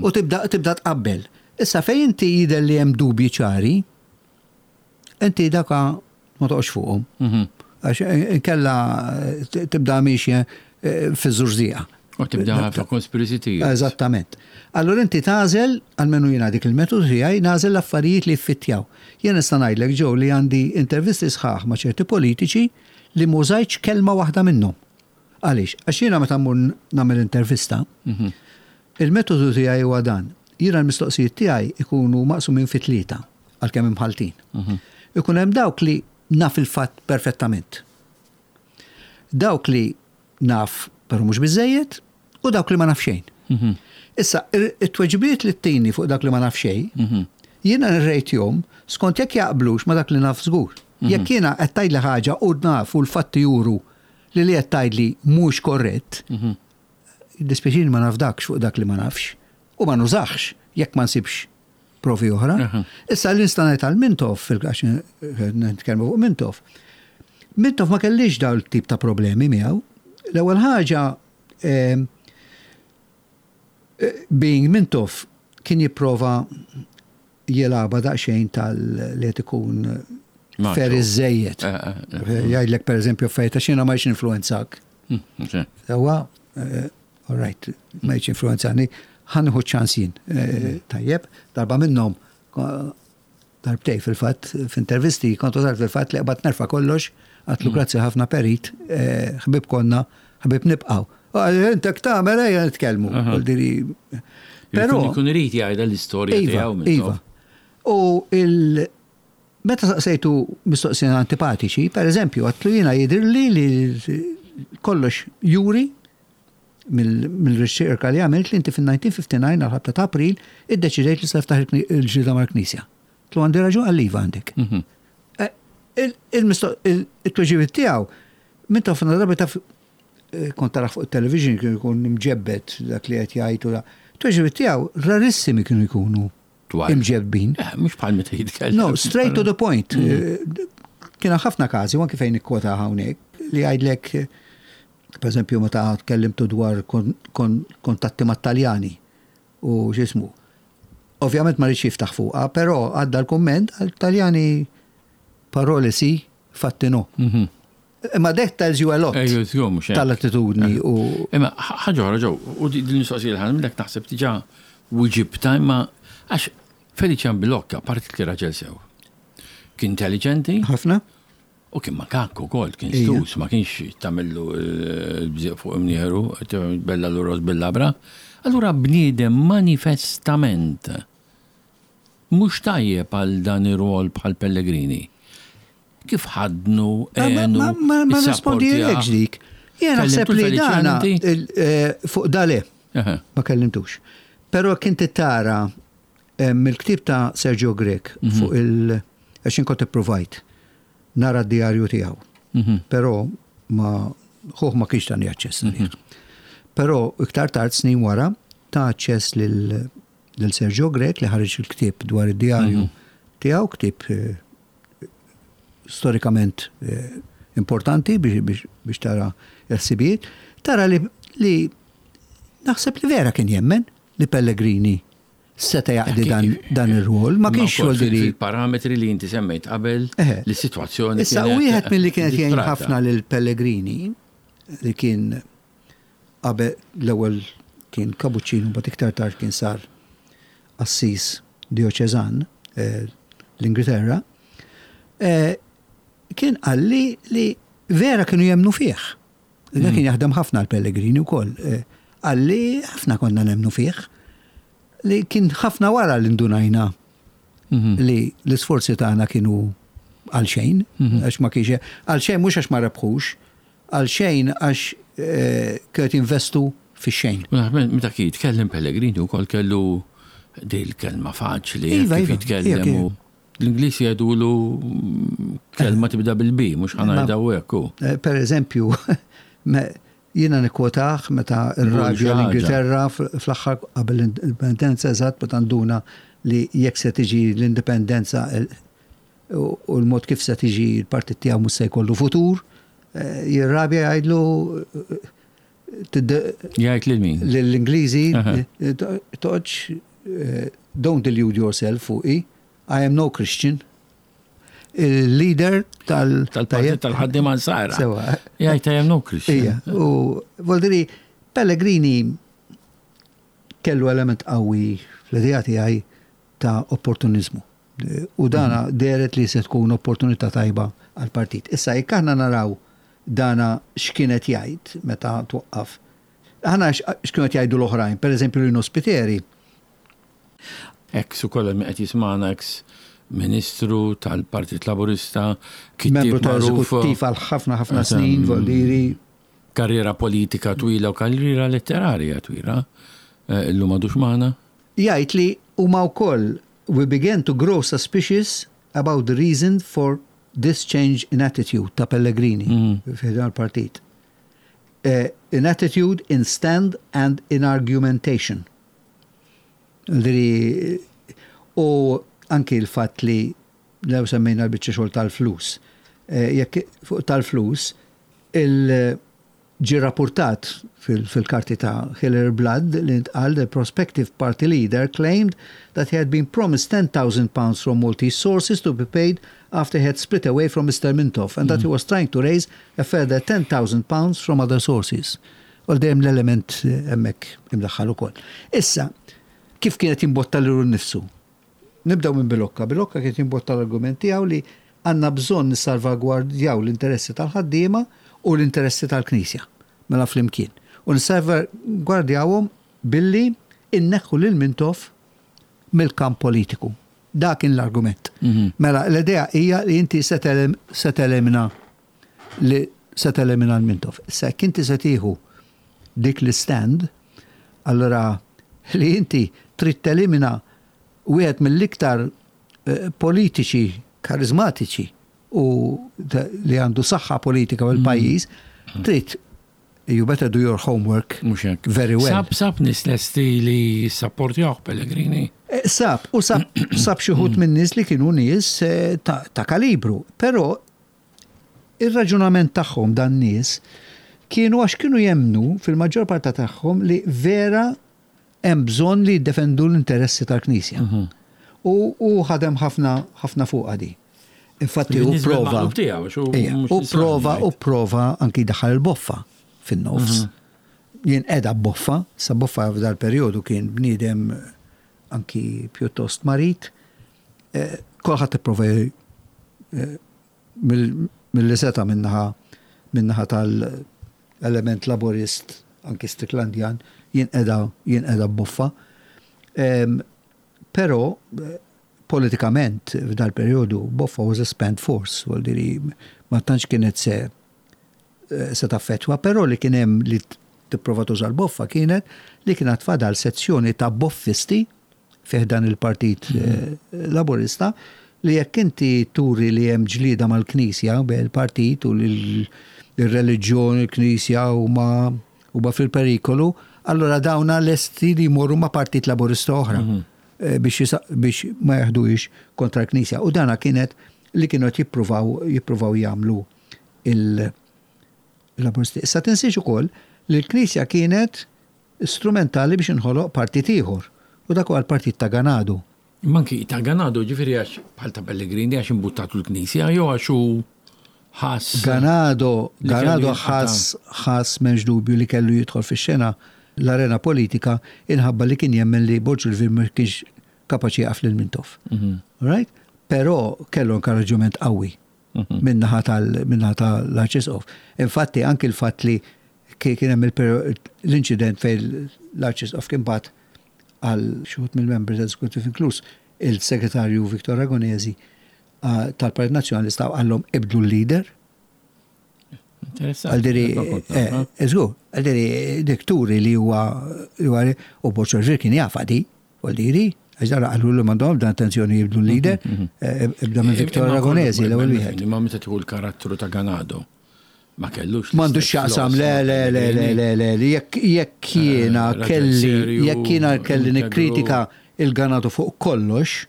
U tibda tibda tqabbel. Issa fejn inti jidher li hemm dubji ċari, inti daka ma toqgħodx fuqhom. Mhm. Għax inkella tibda miexja fi żurżieqa. U tibda ħafna conspiracy theories. Eżattament. Allora inti tagħżel, almenu jiena dik il-metodu tiegħi, nagħżel l-affarijiet li ffittjaw. Jien nista' ngħidlek, ġew li għandi intervisti sħaħ ma' ċerti politiċi li m'użajtx kelma waħda minnhom. Għaliex? Għax jiena meta mmur nagħmel intervista, Mhm. il-metodu tiegħi huwa dan. Jiena l-mistoqsijiet tiegħi ikunu maqsumin fi tlieta, għalkemm imħaltin. Ikun hemm dawk li naf il-fatt perfettament. Dawk li naf però mhux biżejjed u dawk li ma naf xejn. Mhm. Issa, it-tweġibiet li ttini fuq dak li ma naf xejn, Mhm. jiena nirrejtjhom skont jekk jaqblux ma dak li naf żgur. Jekk jiena qed tgħidli ħaġa u naf u l-fatti juru li li qed tgħidli mhux korrett, dispjaċini, ma nafdakx fuq dak li ma nafx u ma nużax jekk ma nsibx provi oħra. Aha. Issa li nista' ngħid għal Mintoff, fil-għax nitkellmu fuq Mintoff. Mintoff ma kellix dawn tip ta' problemi miegħu. L-ewwel ħaġa, eh, eh, being Mintoff, kien jipprova jilgħabha daqsxejn tal li qed ikun Macho. fair iżejjed. Eh, eh, eh. Jgħidlek, per eżempju, fejta xina ma jx influenzak. Mm, ok. Sewa, eh, all right, ma jx influenzani, ħa nieħu ċans jien. Eh, Tajjeb, darba minnhom, darbtej fil-fatt, f'intervisti, kontu dar fil-fatt li qbad nerfa kollox, għedtlu grazzi ħafna perit, eh, ħbib konna, ħbib nibqaw. Intek tagħmel, ejja nitkellmu. Aha. Vuol diri, Però Ikun irid jgħidha l-istorja Iva, tiegħu. Iva. U il meta saqsejtu mistoqsijiet antipatiċi, per eżempju, għedtlu jiena jidhirli li kollox juri mill-riċerka li għamilt li inti fil-elf disa' mija u ħamsa u ħamsin għal-ħabta ta' April iddeċidejt li se tiftaħ il-ġlieda mal-Knisja. Għedtlu, "Għandi raġun?" Qalli, "Iva, għandek." Mhm. Eh, il-tweġibiet tiegħu minn ta' ħafna drabi taf eh, kont tara fuq il-television kienu jkun imġebbed dak li qed jgħid u da. Tweġibiet tiegħu rarissimi kienu jkunu Twal. imġebbin. Eh, mhux bħal meta jitkellem. No, straight to the point. Eh, Kien ħafna każi, u anki fejn ikkwota hawnhekk, li jgħidlek, eh, per eżempju, meta tkellimtu dwar kon- kon- kontatti mat-Taljani u x'ismu. Ovvjament ma rridx jiftaħ fuqha, però għadda l-komment għal-Taljani, "Parole sì, fatti no." Mhm. Imma that tells you a lot Ejju, żgur, mhux hekk. tal-attitudni u Imma ħaġa oħra ġew, u di din mistoqsija li ħa nagħmillek naħseb diġà weġibtha, imma għax Felician Bilocca parti li raġel sew. Kien intelligenti ħafna. U kien makakku ukoll, kien Ija. stus, ma kienx tagħmillu l-bżieq fuq imnieħru, bella l-ros bil-labra. Allura bniedem manifestament mhux tajjeb għal dan ir-rol bħal Pellegrini. Kif ħadnu, Ma- ma- għenu, Ma ma- ma rispondi dik. Jena naħseb Kellimtu li l-Felician dana inti? il- eh, fuq dale Eħe. ma kellimtux. Però kien tara eh, mill-ktib ta' Sergio Grech Mhm. fuq il- għax kont ipprovajt nara d-diarju tiegħu. Mhm. Però ma ħuħ ma kienx tani aċċess Mhm. għalih. Però iktar tard, snin wara, ta aċċess lil lil Sergio Grech li ħareġ il-ktieb dwar id-diarju Mhm. tiegħu, ktieb eh, storikament eh, importanti biex, biex, biex tara l-ħsibijiet, tara li, li naħseb li vera kien jemmen li Pellegrini seta jaqdi dan, dan ir-rwol, ma kienx wkoll xogħol li fil-parametri li inti semmejt qabel Eħe. li situazzjoni Issa, kienet wieħed mill-li kienet jgħin disprata. ħafna lil Pellegrini, li kien qabel l-ewwel kien kapuċċinu, but iktar tard kien sar assis dioċeżan eh, l-Ingilterra, eh, kien qalli li vera kienu jemnu fih. Da kien jaħdem ħafna l-Pellegrini wkoll. Eh, Qalli, "Ħafna konna nemnu fih." Li kien ħafna wara li ndunajna Mhm. li l-isforzi tagħna kienu għal xejn, Mhm. għax ma kienx għal xejn, mhux għax ma rebħux, għal xejn għax eh, kienet investu fi xejn. U naħseb meta kien jitkellem Pellegrini wkoll kellu dil kelma faċli, Iva, kif iva, jitkellem iva, u l-Ingliż jgħidulu mm, kelma tibda bil-B, mhux ħa ngħidha hekk hu. Eh, Per eżempju, me- jiena nikkwotah meta r-radju xi ħaġa. l-Ingilterra fl-aħħar qabel l-indipendenza, eżatt meta nduna li jekk se tiġi l-indipendenza il- u u l-mod kif se tiġi l-partit tiegħu mhux se jkollu futur, eh, jirrabja, jgħidlu eh, tidde- Jgħid lil min? l-Ingliżi, Aha. eh, toqgħodx, eh, "Don't delude yourself fuqi, I am no Christian." Il-leader tal- Tal-partit tal-ħaddiema Nsara. Sewa. Jgħid, "I am no Christian." Ija, u voldiri Pellegrini kellu element qawwi fl-idea tiegħi ta' opportunizmu. U dana dehret li se tkun opportunità tajba għal-partit. Issa jekk aħna naraw dana x'kienet jgħid meta twaqqaf. Aħna x'kienet jgħidu l-oħrajn, per eżempju Lino Spiteri, Ex ukoll min qed jismana, ex ministru tal-Partit Laburista, kittieb membru magħruf, tal-eżekuttiv għal ħafna ħafna snin, voldiri, karriera politika twila u karriera letterarja twila. Eh, Illum għadux magħna. Jgħid li huma wkoll, "We began to grow suspicious about the reason for this change in attitude" ta' Pellegrini Mm. fi dan il-partit. Eh, in attitude, in stand and in argumentation. Diri, u anki l-fatt li lew semmejna l-biċċa xogħol tal-flus. Eh, Jekk fuq tal-flus, il ġi rapportat fil- fil-karti ta' Hillary Blood li ntqal, "The prospective party leader claimed that he had been promised ten thousand pounds from Maltese sources to be paid after he had split away from Mister Mintoff and that he was trying to raise a further ten thousand pounds from other sources." U dejjem l-element eh, hemmhekk imdaħħal ukoll. Issa, kif kienet jimbotta lilu nnifsu? Nibdew minn Bilocca. Bilocca kienet jimbotta l-argument tiegħu li għandna bżonn nissalvagwardjaw l-interessi tal-ħaddiema u l-interessi tal-Knisja, mela flimkien. U nissalvagwardjawhom billi Inneħħu lil Mintoff mill-kamp politiku. Dak kien l-argument. Mhm. Mela, l-idea hija li inti se telimina li se telimina l-Mintoff. Se inti se tieħu dik l-stand, allora li inti trid telimina wieħed mill-iktar eh, politiċi karizmatiċi u li għandu saħħa politika u l-pajjiż, mm. trid you better do your homework very well. Sab, sab nies lesti li sapportjaw Pellegrini. Eh, sab, u sab, sab xi wħud minn nies li kienu nies eh, ta', ta kalibru, però ir-raġunament tagħhom dan nies kienu għax kienu jemnu fil-maġġor parta tagħhom li vera hemm bżonn li jiddefendu l-interessi tal-Knisja. Mhm. U, u ħadem ħafna ħafna fuq għadi. Infatti u prova. U prova u prova anki daħal il-Boffa fin-nofs. Mhm. Jien edha Boffa, sa Boffa f'dal periodu kien bniedem anki pjuttost marit. Eh, kulħadd ipprova eh, mill seta minnaħa minnaħa tal-element laborist anki Stricklandian jien edha jien edha Boffa. Però eh, politikament f'dal periodu Boffa was a spent force, vuol dire ma tantx kienet se eh, se taffetwa, però li kien hemm li tipprova tuża l-Boffa kienet li kienet fadal sezzjoni ta' boffisti fih dan il-Partit mm -hmm. Laburista li jekk inti turi li hemm ġlida mal-Knisja bejn il-partit u l-reliġjon, il-Knisja huma huma fil-perikolu, allora dawna lesti li jmorru ma' Partit Laburista oħra. Mm -hmm. Biex, biex ma jaħduix kontra l-Knisja. U dana kienet li kienu jippruvaw jippruvaw jagħmlu il-Laburisti. Issa tinsiex ukoll li l-Knisja kienet strumentali biex inħoloq partit ieħor. U dak huwa l-partit ta' Ganado. Manki ta' Ganado ġifieri għax bħal ta' Pellegrini għax imbuttatu l-Knisja jew għax hu ħass. Ganado, Ganado ħass ħass m'hemmx dubju li kellu jidħol fix-xena l-arena politika inħabba li kien jemmen li Borg Olivier ma kienx kapaċi jaqaf lil Mintoff. Mhm. Right? Però kellu inkoraġġiment qawwi mhm. minnaħa tal-minnaħa tal-Arċisqof. Infatti anki l-fatt li kien hemm l-inċident fejn l-Arċisqof kien bagħat għal xi wħud mill-membri tal-Executive inkluż il-segretarju Victor Ragonesi tal-Partit Nazzjonalista għallhom ibdlu l-leader. Għaldiri, eżgu, għaldiri dik turi li huwa u Borg Olivier kien jafa di, għaldiri, għax dara għallu li m'għandhom dan attenzjoni jibdlu l-leader, mhm, mhm. ibda minn Victor Ragonesi l-ewwel wieħed. Ma meta tieħu l-karattru ta' Ganado. Ma kellux. M'għandux x'jaqsam, le, le, le, le, le, le, jekk jekk jiena kelli, jekk jiena kelli nikkritika il-Ganado fuq kollox,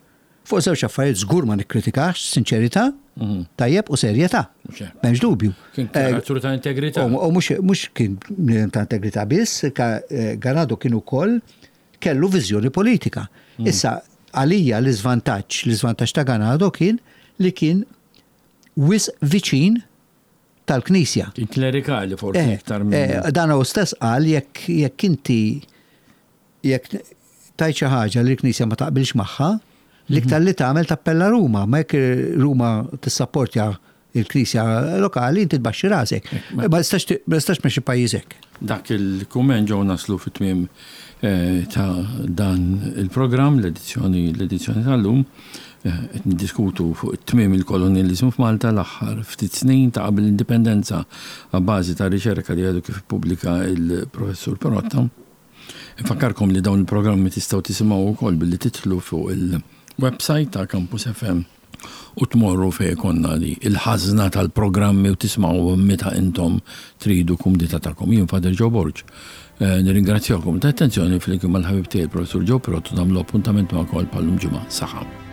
fuq żewġ affarijiet żgur ma nikkritikax, sinċerità, mhm. tajjeb u serjetà. M'hemmx dubju. Kien karattru ta' integrità. U mhux kien ta' integrità biss, Ganado kien ukoll kellu viżjoni politika. Mhm. Issa għalija l-iżvantaġġ, l-iżvantaġġ ta' Ganado kien li kien wisq viċin tal-Knisja. Kien klerikali forsi eh, iktar minn. Eh, dan hu stess qal jekk jekk inti jekk tajt xi ħaġa li l-Knisja ma taqbilx magħha, l-iktar li tagħmel tappella Ruma, ma jekk Ruma tissapportja il-Knisja lokali inti tbaxxi rasek. Ma tistax tmexxi pajjiżek. Dak il-kumment ġew naslu fit-tmiem eh, ta' dan il-programm, l-edizzjoni l-edizzjoni tal-lum. Eh, qed niddiskutu fuq it-tmiem il-kolonializmu f'Malta l-aħħar ftit snin ta' qabel l-indipendenza għabbażi ta' riċerka li għadu kif ippubblika il-professur Pirotta. Infakkarkom li dawn il-programmi tistgħu tisimgħu wkoll billi titlu fuq il-website ta' Campus F M u tmorru fejn konna li il-ħażna tal-programmi u tismgħu meta intom tridu kumdita tagħkom. Jien Father Joe Borg. Eh, nirringrazzjakom ta' attenzjoni flimkien mal-ħabib tiegħi professur Joe Pirotta nagħmlu appuntament magħkom bħal-lum ġimgħa. Saħħa.